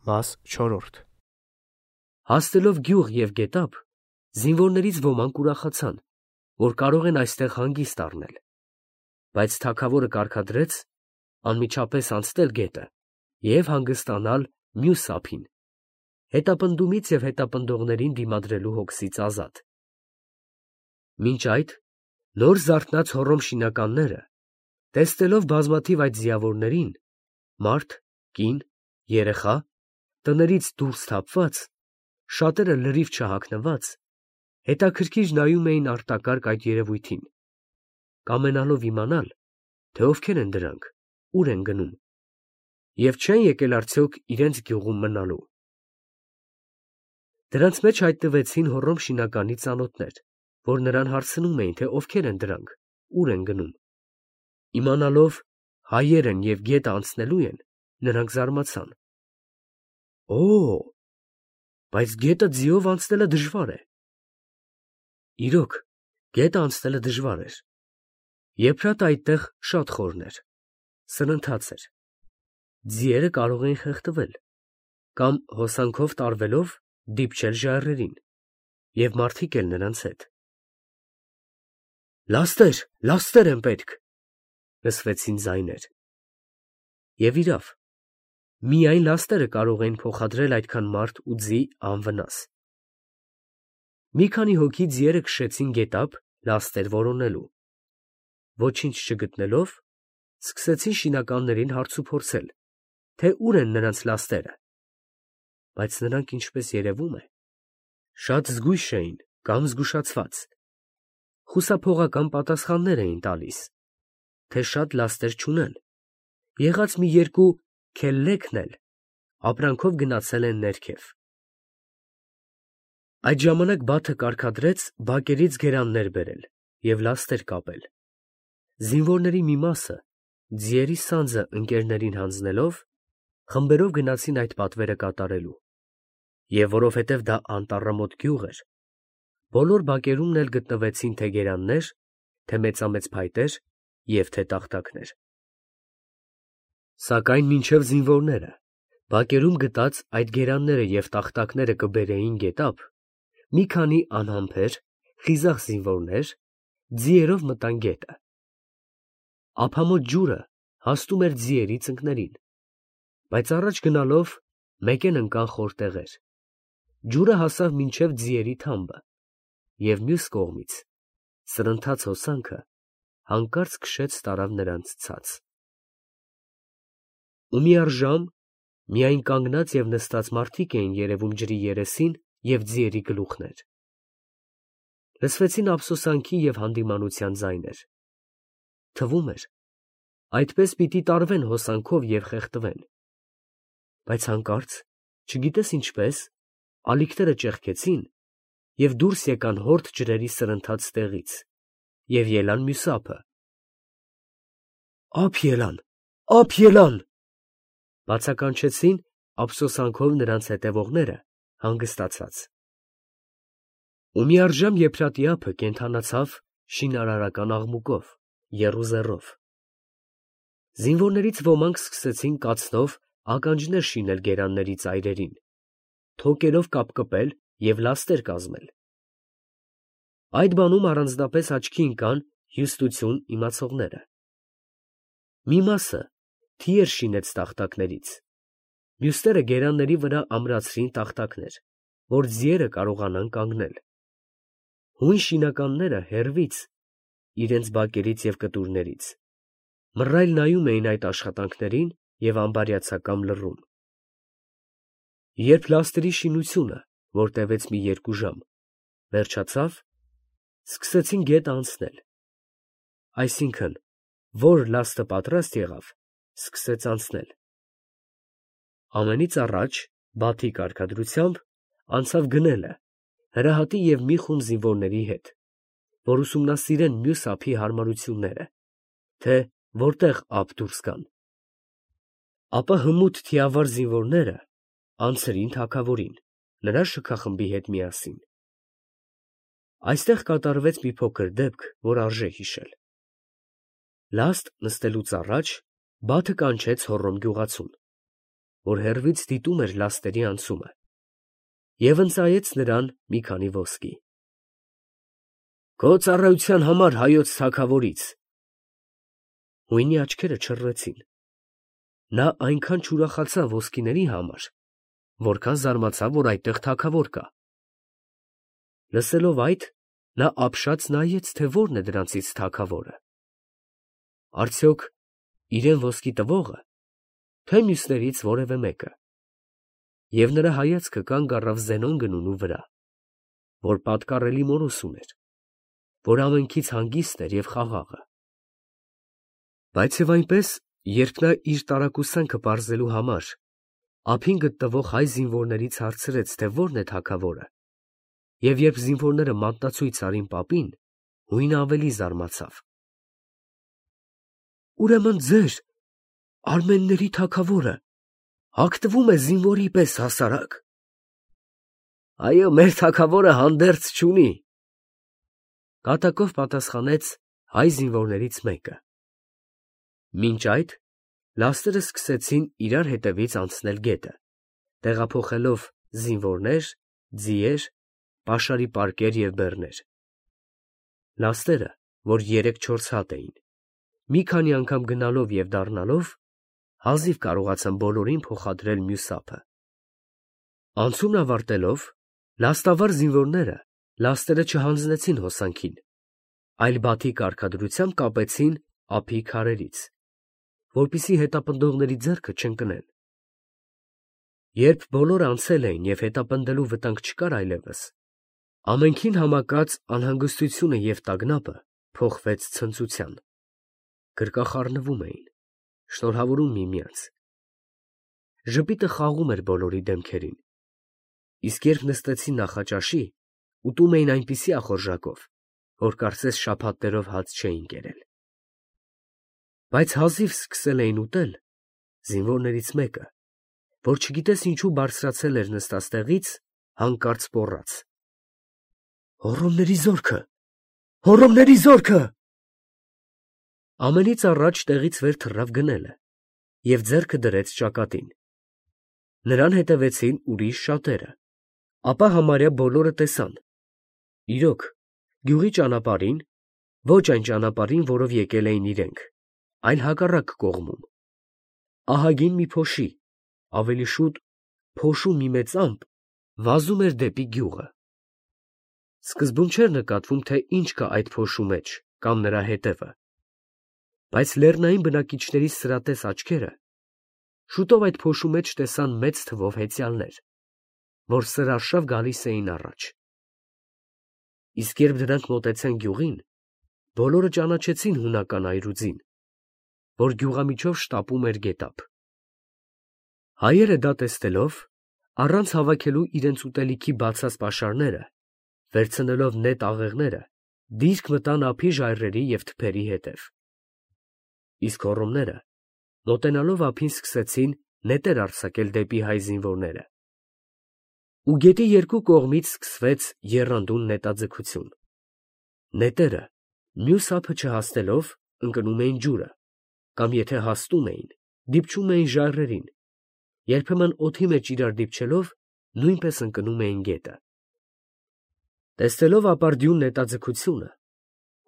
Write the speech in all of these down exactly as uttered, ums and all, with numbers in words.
Մաս չորրորդ Հասնելով գյուղ և գետափ, զինվորներից ոմանք ուրախացան, որ կարող են այստեղ հանգիստ առնել, բայց թագավորը կարգադրեց անմիջապես անցնել գետը և հանգստանալ մյուս ափին, հետապնդումից և հետապնդողներին դիմադրելու հոգսից ազատ։ Մինչ այդ նոր զարթնած հոռոմշինականները, տեսնելով բազմաթիվ այդ ձիավորներին, մարդ, կին, երեխա, տներից դուրս թափված, շատերը լրիվ չհագնված, հետաքրքիր նայում էին արտակարգ այդ երևույթին, կամենալով իմանալ, թե ովքեր են դրանք, ուր են գնում, և չեն եկել արդյոք իրենց գյուղում մնալու։ Դրանց մեջ հայտնվեցին հոռոմշինականի ծանոթներ, որ նրան հարցնում էին, թե ովքեր են դրանք, ուր են գնում։ Իմանալով հայեր են և գետը անցնելու են, նրանք զարմացան. Օ՜, բայց գետը ձիով անցնելը դժվար է։ Իրոք, գետը անցնելը դժվար էր։ Եփրատը այդտեղ շատ խորն էր, սրընթաց էր, ձիերը կարող էին խեղդվել կամ հոսանքով տարվելով դիպչել ժայռերին, և մարդիկ էլ նրանց հետ։ «Լաստեր, լաստեր են պետք», լսվեցին ձայներ։ Եվ իրավ, միայն լաստերը կարող էին փոխադրել այդքան մարդ ու ձի անվնաս։ Մի քանի հոգի ձիերը քշեցին գետափ լաստեր որոնելու։ Ոչինչ չգտնելով, սկսեցին շինականներին հարցուփորձել, թե ուր են նրանց լաստերը, բայց նրանք, ինչպես երևում է, շատ զգույշ էին կամ զգուշացված, խուսափողական պատասխաններ էին տալիս, թե շատ լաստեր չունեն, եղած մի երկու քելլեքն էլ ապրանքով գնացել են ներքև։ Այդ ժամանակ Բաթը կարգադրեց բակերից գերաններ բերել և լաստեր կապել։ Զինվորների մի մասը, ձիերի սանձը ընկերներին հանձնելով, խմբերով գնացին այդ պատվերը կատարելու, և որովհետև դա անտառամոտ գյուղ էր, բոլոր բակերումն էլ գտնվեցին թե գերաններ, թե մեծամեծ փայտեր և թե տախտակներ։ Սակայն մինչև զինվորները բակերում գտած այդ գերանները և տախտակները կբերեին գետափ, մի քանի անհամբեր, խիզախ զինվորներ ձիերով մտան գետը։ Ափամոտ ջուրը հասնում էր ձիերի ծնկներին, բայց առաջ գնալով մեկեն ընկան խոր տեղեր, ջուրը հասավ մինչև ձիերի թամբը, և մյուս կողմից սրընթաց հոսանքը հանկարծ քշեց տարավ նրանց ցած։ Ու միառժամ միայն կանգնած և նստած մարդիկ էին երևում ջրի երեսին և ձիերի գլուխներ։ Լսվեցին ափսոսանքի և հանդիմանության ձայներ։ Թվում էր, այդպես պիտի տարվեն հոսանքով և խեղդվեն, բայց հանկարծ, չգիտես ինչպես, ալիքները ճեղքեցին և դուրս եկան հորդ ջրերի սրընթաց տեղից և ելան մյուս ափը։ «Ափ ելան, ափ ելան», բացականչեցին ափսոսանքով նրանց հետևողները հանգստացած։ Ու միառժամ Եփրատի ափը կենդանացավ շինարարական աղմուկով, եռուզեռով։ Զինվորներից ոմանք սկսեցին կացնով ականջներ շինել գերանների ծայրերին, թոկերով կապկպել և լաստեր կազմել։ Այդ բանում առանձնապես աչքի ընկան հյուստություն իմացողները։ Մի մասը թիեր շինեց տախտակներից, մյուսները գերանների վրա ամրացրին տախտակներ, որ ձիերը կարողանան կանգնել։ Հույն շինականները հեռվից, իրենց բակերից և կտուրներից, մռայլ նայում էին այդ աշխատանքներին և անբարյացակամ լռում։ Երբ լաստերի շինությունը, որ տևեց մի երկու ժամ, վերջացավ, սկսեցին գետը անցնել, այսինքն՝ որ լաստը պատրաստ եղավ, սկսեց անցնել։ Ամենից առաջ Բաթի կարգադրությամբ անցավ գնելը Հրահատի և մի խումբ զինվորների հետ, որ ուսումնասիրեն մյուս ափի հարմարությունները, թե որտեղ ափ դուրս գան։ Ապա հմուտ թիավար զինվորները անցրին թագավորին, նրա շքախմբի հետ միասին։ Այստեղ կատարվեց մի փոքր դեպք, որ արժե հիշել։ Լաստ նստելուց առաջ Բաթը կանչեց հոռոմ գյուղացուն, որ հեռվից դիտում էր լաստերի անցումը, և ընծայեց նրան մի քանի ոսկի։ «Քո ծառայության համար հայոց թագավորից»։ Հույնի աչքերը չռվեցին. նա այնքան չուրախացավ ոսկիների համար, որքան զարմացավ, որ այդտեղ թագավոր կա։ Լսելով այդ, նա ապշած նայեց, թե ո՞րն է դրանցից թագավորը։ Արդյոք իրեն ոսկի տվողը, թե մյուսներից որևէ մեկը։ Եվ նրա հայացքը կանգ առավ Զենոն գնունու վրա, որ պատկառելի մորուս ուներ, որ ամենքից հանգիստ էր և խաղաղը։ Բայց և այնպես, երբ նա իր տարակուսանքը պարզելու համար ափին գտնվող հայ զինվորներից հարցրեց, թե ո՞րն է թագավորը, և երբ զինվորները մատնացույց արին պապին, հույնը ավելի զարմացավ։ «Ուրեմն ձեր, արմենների թագավորը, հագնվում է զինվորի պես հասարակ»։ «Այո, մեր թագավորը հանդերձ չունի», կատակով պատասխանեց հայ զինվորներից մեկը։ Մինչ այդ լաստերը սկսեցին իրար հետևից անցնել գետը, տեղափոխելով զինվորներ, ձիեր, պաշարի պարկեր և բեռներ։ Լաստերը, որ երեք֊չորս հատ էին, մի քանի անգամ գնալով և դառնալով, հազիվ կարողացան բոլորին փոխադրել մյուս ափը։ Անցումն ավարտելով, լաստավար զինվորները լաստերը չհանձնեցին հոսանքին, այլ բաթի կարգադրությամբ կապեցին ափի քարերից, որպեսզի հետապնդողների ձեռքը չընկնեն։ Երբ բոլորը անցել էին և հետապնդելու վտանգ չկար այլևս, ամենքին համակած անհանգստությունը և տագնապը փոխվեց ցնծության. գրկախառնվում էին, շնորհավորում միմյանց։ Ժպիտը խաղում էր բոլորի դեմքերին, իսկ երբ նստեցին նախաճաշի, ուտում էին այնպիսի ախորժակով, որ կարծես շաբաթներով հաց չէին կերել։ Բայց հազիվ սկսել էին ուտել, զինվորներից մեկը, որ չգիտես ինչու բարձրացել էր նստած տեղից, հանկարծ պոռաց. «Հոռոմների զորքը, հոռոմների զորքը»։ Ամենից առաջ տեղից վեր թռավ գնելը և ձեռքը դրեց ճակատին։ Նրան հետևեցին ուրիշ շատերը, ապա համարյա բոլորը տեսան, իրոք, գյուղի ճանապարհին, ոչ այն ճանապարհին, որով եկել էին իրենք, այլ հակառակ կողմում, ահագին մի փոշի, ավելի շուտ փոշու մի մեծ ամպ, վազում էր դեպի գյուղը։ Սկզբում չէր նկատվում, թե ինչ կա այդ փոշու մեջ կամ նրա հետևը, բայց լեռնային բնակիչների սրատես աչքերը շուտով այդ փոշու մեջ տեսան մեծ թվով հեծյալներ, որ սրարշավ գալիս էին առաջ։ Իսկ երբ դրանք մոտեցան գյուղին, բոլորը ճանաչեցին հունական այրուձին, որ գյուղամիջով շտապում էր գետափ։ Հայերը դա տեսնելով, առանց հավաքելու իրենց ուտելիքի բացած պաշարները, վերցնելով նետ աղեղները, դիրք մտան ափի ժայռերի և թփերի հետև։ Իսկ հոռոմները, մոտենալով ափին, սկսեցին նետեր արձակել դեպի հայ զինվորները։ Ու գետի երկու կողմից սկսվեց եռանդուն նետաձգություն։ Նետերը, մյուս ափը չհասնելով, ընկնում էին ջուրը, կամ եթե հասնում էին, դիպչում էին ժայռերին, երբեմն օդի մեջ իրար դիպչելով, նույնպես ընկնում էին գետը։ Տեսնելով ապարդյուն նետաձգությունը,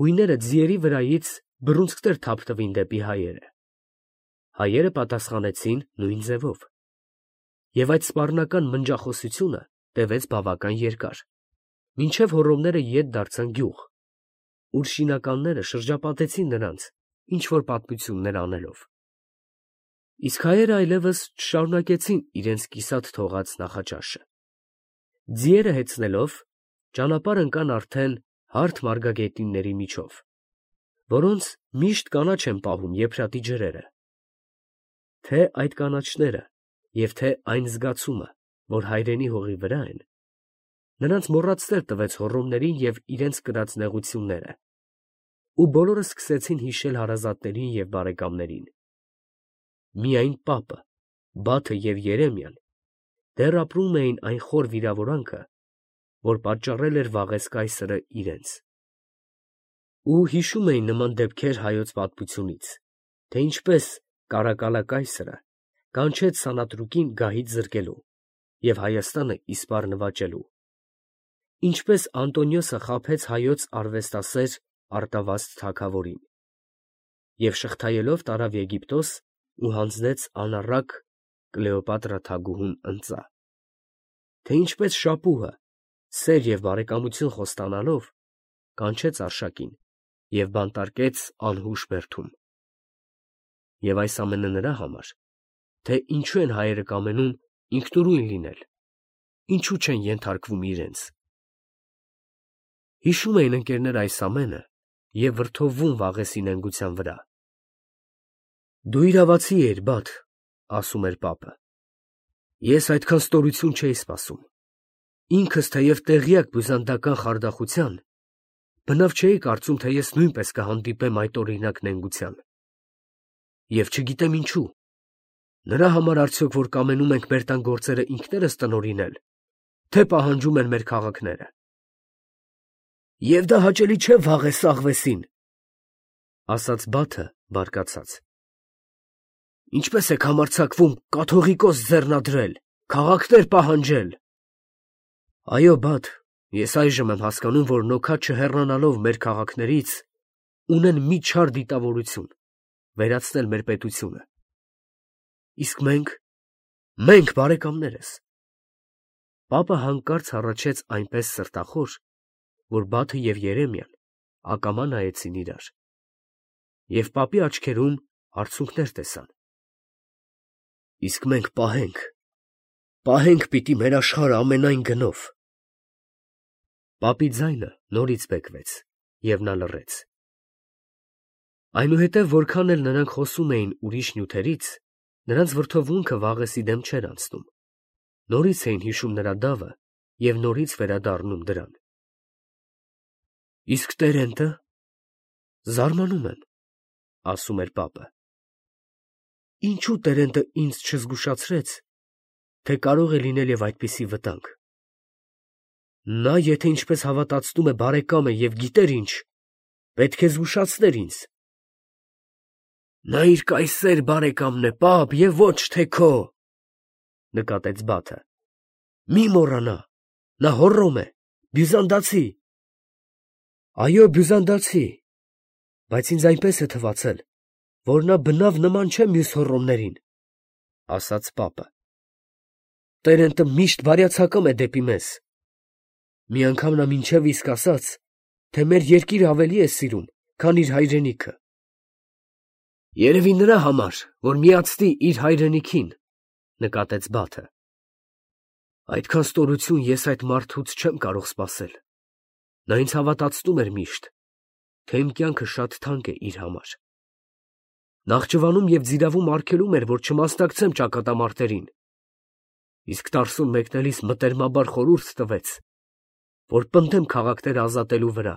հույները ձիերի վրայից բռունցքներ թափթվին դեպի հայերը։ Հայերը պատասխանեցին նույն ձևով, և այդ սպառնական մնջախոսությունը տևեց բավական երկար, մինչև հոռոմները ետ դարձան գյուղ, ուր շինականները շրջապատեցին նրանց, ինչ֊որ պատմություններ անելով։ Իսկ հայերը այլևս չշարունակեցին իրենց կիսատ թողած նախաճաշը։ Ձիերը հեծնելով, ճանապարհ ընկան արդեն հարթ մարգագետինների միջով, որոնց միշտ կանաչ են պահում եփրատի ջրերը։ Թե այդ կանաչները և թե այն զգացումը, որ հայրենի հողի վրա են, նրանց մոռացնել տվեց հոռոմներին և իրենց կրած նեղությունները, ու բոլորը սկսեցին հիշել հարազատներին և բարեկամներին։ Միայն պապը, Բաթը և Երեմիան դեռ ապրում էին այն խոր վիրավորանքը, որ պատճառել էր վաղեզ կայսրը իրենց։ Ու հիշում էին նման դեպքեր հայոց պատմությունից, թե ինչպես Կարակալա կայսրը կանչեց սանատրուկին գահից զրկելու և Հայաստանը իսպառ նվաճելու, ինչպես Անտոնիոսը խաբեց հայոց արվեստասեր Արտավազդ թագավորին և շղթայելով տարավ Եգիպտոս ու հանձնեց անառակ Կլեոպատրա թագուհուն ընծա, թե ինչպես շապուհը, սեր և բարեկամություն խոստանալով, կանչեց Արշակին և բանտարկեց անհուշ բերդում. և այս ամենը նրա համար, թե ինչու են հայերը կամենում ինքնուրույն լինել, ինչու չեն ենթարկվում իրենց։ Հիշում էին ընկերները այս ամենը և վրդովվում Վաղեսի նենգության վրա։ «Դու իրավացի էիր, բադ», ասում էր պապը, «ես այդքան ստորություն չէի սպասում, ինքս թեև տեղյակ բյուզանդական խարդախության, բնավ չէի կարծում, թե ես նույնպես կհանդիպեմ այդ օրինակ նենգության։ Եվ չգիտեմ ինչու, նրա համար արդյոք, որ կամենում ենք մեր տան գործերը ինքներս տնօրինել, թե պահանջում են մեր քաղաքները։ Եվ դա հաճելի չէ Վաղես աղվեսին, ֊ ասաց Բաթը բարկացած. ինչպես եք համարձակվում կաթողիկոս ձեռնադրել, քաղաքներ պահանջել։ Այո, բադ, ես այժմ եմ հասկանում, որ նոքա չհեռանալով մեր քաղաքներից, ունեն մի չար դիտավորություն, վերացնել մեր պետությունը։ Իսկ մենք, մենք բարեկամներս։ Պապը հանկարծ հառաչեց այնպես սրտախոր, որ Բաթը և Երեմիան ակամա նայեցին իրար, և պապի աչքերում արցունքներ տեսան։ Իսկ մենք պահենք, պահենք պիտի մեր աշխարհը ամենայն գնով։ Պապի ձայնը նորից բեկվեց, և նա լռեց։ Այնուհետև որքան էլ նրանք խոսում էին ուրիշ նյութերից, նրանց վրդովմունքը Վաղեսի դեմ չէր անցնում, նորից էին հիշում նրա դավը և նորից վերադառնում դրան։ Իսկ Տերենտը, զարմանում եմ, ֊ ասում էր պապը, ինչու Տերենտը ինձ չզգուշացրեց, թե կարող է լինել և այդպիսի վտանգ։ Նա, եթե ինչպես հավատացնում է բարեկամ է և գիտեր ինչ, պետք է զգուշացներ ինձ։ Նա իր կայսեր բարեկամն է, պապ, և ոչ թե քո, ֊ նկատեց Բաթը։ Մի մոռանա, նա Հոռոմ է, բյուզանդացի։ Այո, բյուզանդացի, բայց ինձ այնպես է թվացել, որ նա բնավ նման չէ մյուս հոռոմներին, ֊ ասաց պապը։ Տերենտը միշտ բարյացակամ է դեպի մեզ։ Մի անգամ նա մինչև իսկ ասաց, թե մեր երկիրը ավելի է սիրում, քան իր հայրենիքը։ Երևի նրա համար, որ միացնի իր հայրենիքին, ֊ նկատեց Բաթը։ Այդքան ստորություն ես այդ մարդուց չեմ կարող սպասել։ Նա ինձ հավատացնում էր միշտ, թե իմ կյանքը շատ թանկ է իր համար։ Նախճիվանում և ձիրավում արգելում էր, որ չմասնակցեմ ճակատամարտերին, իսկ Տարսուն մեկնելիս մտերմաբար խորհուրդ տվեց, որ պնդեմ քաղաքները ազատելու վրա։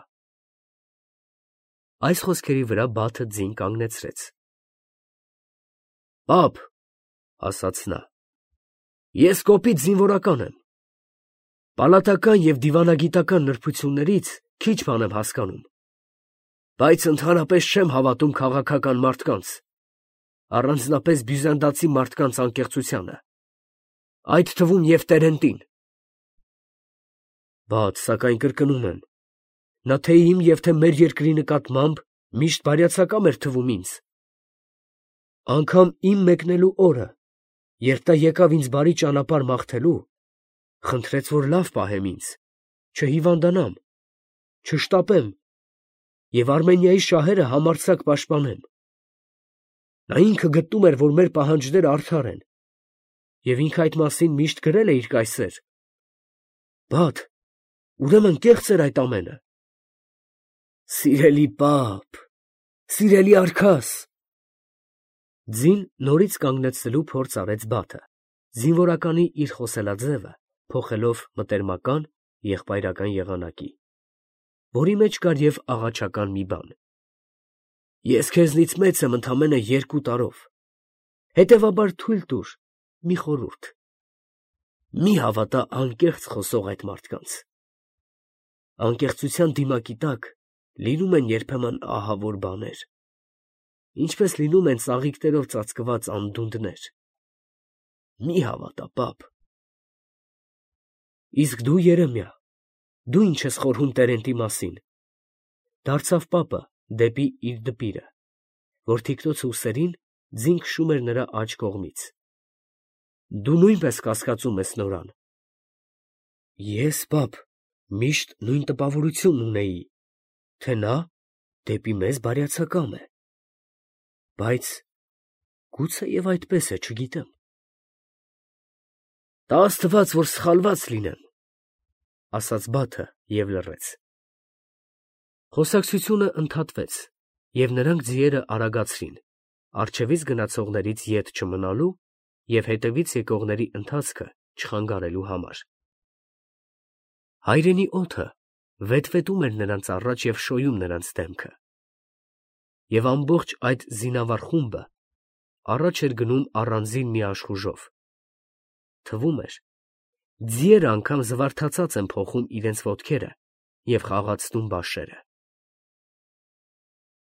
Այս խոսքերի վրա Բաթը ձին կանգնեցրեց։ Պապ, ֊ ասաց նա, ես կոպիտ զինվորական եմ, պալատական և դիվանագիտական նրբություններից քիչ բան եմ հասկանում, բայց ընդհանրապես չեմ հավատում քաղաքական մարդկանց, առանձնապես բյուզանդացի մարդկանց անկեղծությանը, այդ թվում և Տերենտին։ Բադ, սակայն կրկնում եմ, նա թե իմ և թե մեր երկրի նկատմամբ միշտ բարյացակամ էր թվում ինձ։ Անգամ իմ մեկնելու օրը, երբ նա եկավ ինձ բարի ճանապարհ մաղթելու, խնդրեց, որ լավ պահեմ ինձ, չհիվանդանամ, չշտապեմ և Արմենիայի շահերը համարձակ պաշտպանեմ։ Նա ինքը գտնում էր, որ մեր պահանջները արդար են, և ինքը այդ մասին միշտ գրել է իր կայսեր։ Բադ, ուրեմն կեղծ էր այդ ամենը։ Սիրելի պապ, սիրելի արքաս… Ձին նորից կանգնեցնելու փորձ արեց Բաթը, զինվորականի իր խոսելաձևը փոխելով մտերմական, եղբայրական եղանակի, որի մեջ կար և աղաչական մի բան։ Ես քեզնից մեծ եմ ընդամենը երկու տարով, հետևաբար թույլ տուր մի խորհուրդ. մի հավատա անկեղծ խոսող այդ մարդկանց։ Անկեղծության դիմակի տակ լինում են երբեմն ահավոր բաներ, ինչպես լինում են ծաղիկներով ծածկված անդունդներ։ մի հավատա, պապ։ Իսկ դու, Երեմիա, դու ինչ ես խորհում Տերենտի մասին։ Դարձավ պապը դեպի իր դպիրը, որ թիկնոց ուսերին ձին քշում էր նրա աջ կողմից։ Դու նույնպես կասկածում ես նորան։ Ես, պապ, միշտ նույն տպավորությունն ունեի, թե նա դեպի մեզ բարյացակամ է, բայց գուցեև այդպես է, չգիտեմ։ Տա աստված, որ սխալված լինեմ, ասաց Բաթը և լռեց։ Խոսակցությունը ընդհատվեց, և նրանք ձիերը արագացրին, առջևից գնացողներից ետ չմնալու և հետևից եկողների ընթացքը չխանգարելու համար։ Հայրենի օդը վետվետում էր նրանց առաջ և շոյում նրանց դեմքը, և ամբողջ այդ զինավառ խումբը առաջ էր գնում առանձին մի աշխուժով. թվում էր, ձիերը անգամ զվարթացած են փոխում իրենց ոտքերը և խաղացնում բաշերը։